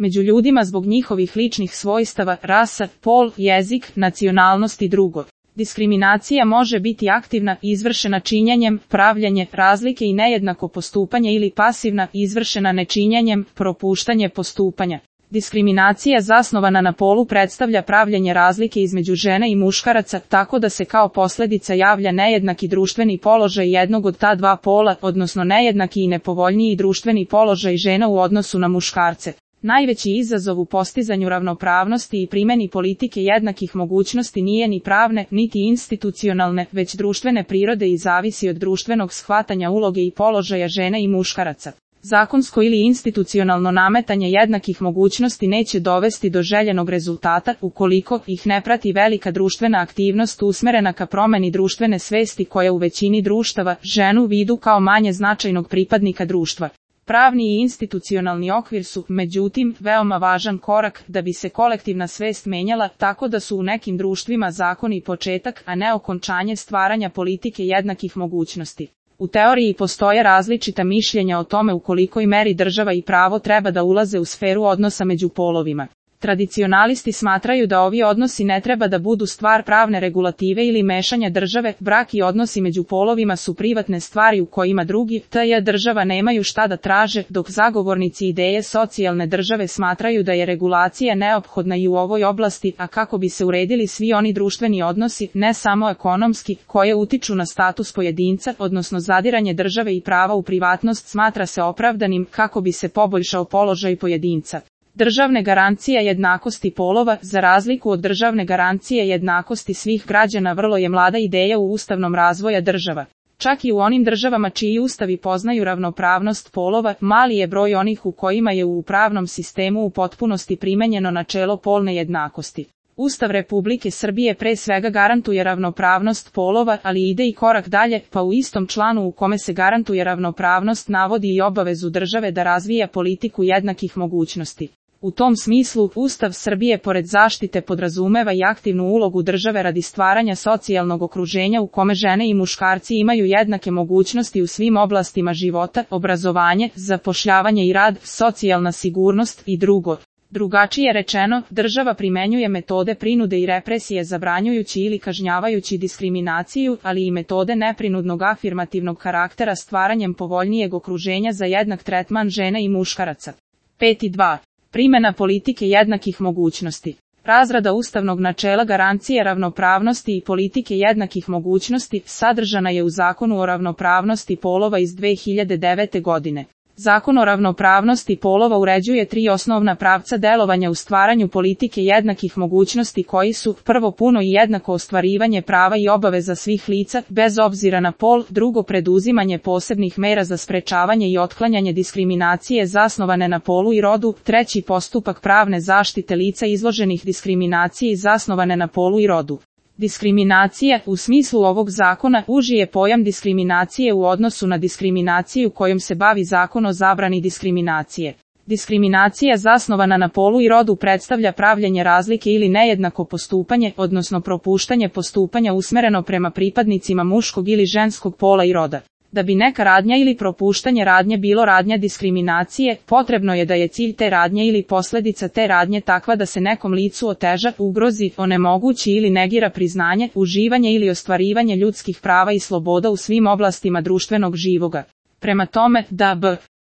među ljudima zbog njihovih ličnih svojstava, rasa, pol, jezik, nacionalnost i drugo. Diskriminacija može biti aktivna, izvršena činjenjem, pravljenje, razlike i nejednako postupanje ili pasivna, izvršena nečinjenjem, propuštanje postupanja. Diskriminacija zasnovana na polu predstavlja pravljenje razlike između žene i muškaraca, tako da se kao posljedica javlja nejednaki društveni položaj jednog od ta dva pola, odnosno nejednaki i nepovoljniji društveni položaj žena u odnosu na muškarce. Najveći izazov u postizanju ravnopravnosti i primjeni politike jednakih mogućnosti nije ni pravne, niti institucionalne, već društvene prirode i zavisi od društvenog shvatanja uloge i položaja žene i muškaraca. Zakonsko ili institucionalno nametanje jednakih mogućnosti neće dovesti do željenog rezultata ukoliko ih ne prati velika društvena aktivnost usmjerena ka promjeni društvene svesti koja u većini društava ženu vidu kao manje značajnog pripadnika društva. Pravni i institucionalni okvir su, međutim, veoma važan korak da bi se kolektivna svest menjala, tako da su u nekim društvima zakoni početak, a ne okončanje stvaranja politike jednakih mogućnosti. U teoriji postoje različita mišljenja o tome u kolikoj meri država i pravo treba da ulaze u sferu odnosa među polovima. Tradicionalisti smatraju da ovi odnosi ne treba da budu stvar pravne regulative ili mešanja države, brak i odnosi među polovima su privatne stvari u kojima drugi, tj. država nemaju šta da traže, dok zagovornici ideje socijalne države smatraju da je regulacija neophodna i u ovoj oblasti, a kako bi se uredili svi oni društveni odnosi, ne samo ekonomski, koje utiču na status pojedinca, odnosno zadiranje države i prava u privatnost smatra se opravdanim kako bi se poboljšao položaj pojedinca. Državne garancije jednakosti polova, za razliku od državne garancije jednakosti svih građana, vrlo je mlada ideja u ustavnom razvoja država. Čak i u onim državama čiji ustavi poznaju ravnopravnost polova, mali je broj onih u kojima je u pravnom sistemu u potpunosti primenjeno načelo polne jednakosti. Ustav Republike Srbije pre svega garantuje ravnopravnost polova, ali ide i korak dalje, pa u istom članu u kome se garantuje ravnopravnost navodi i obavezu države da razvija politiku jednakih mogućnosti. U tom smislu, Ustav Srbije pored zaštite podrazumeva i aktivnu ulogu države radi stvaranja socijalnog okruženja u kome žene i muškarci imaju jednake mogućnosti u svim oblastima života, obrazovanje, zapošljavanje i rad, socijalna sigurnost i drugo. Drugačije rečeno, država primenjuje metode prinude i represije zabranjujući ili kažnjavajući diskriminaciju, ali i metode neprinudnog afirmativnog karaktera stvaranjem povoljnijeg okruženja za jednak tretman žena i muškaraca. 5.2. Primjena politike jednakih mogućnosti. Razrada ustavnog načela garancije ravnopravnosti i politike jednakih mogućnosti sadržana je u Zakonu o ravnopravnosti polova iz 2009. godine. Zakon o ravnopravnosti polova uređuje 3 osnovna pravca delovanja u stvaranju politike jednakih mogućnosti koji su: prvo, puno i jednako ostvarivanje prava i obaveza svih lica, bez obzira na pol; drugo, preduzimanje posebnih mera za sprečavanje i otklanjanje diskriminacije zasnovane na polu i rodu; treći, postupak pravne zaštite lica izloženih diskriminaciji zasnovane na polu i rodu. Diskriminacija, u smislu ovog zakona, uži je pojam diskriminacije u odnosu na diskriminaciju kojom se bavi Zakon o zabrani diskriminacije. Diskriminacija zasnovana na polu i rodu predstavlja pravljenje razlike ili nejednako postupanje, odnosno propuštanje postupanja usmereno prema pripadnicima muškog ili ženskog pola i roda. Da bi neka radnja ili propuštanje radnje bilo radnja diskriminacije, potrebno je da je cilj te radnje ili posljedica te radnje takva da se nekom licu oteža, ugrozi, onemogući ili negira priznanje, uživanje ili ostvarivanje ljudskih prava i sloboda u svim oblastima društvenog živoga. Prema tome, da b.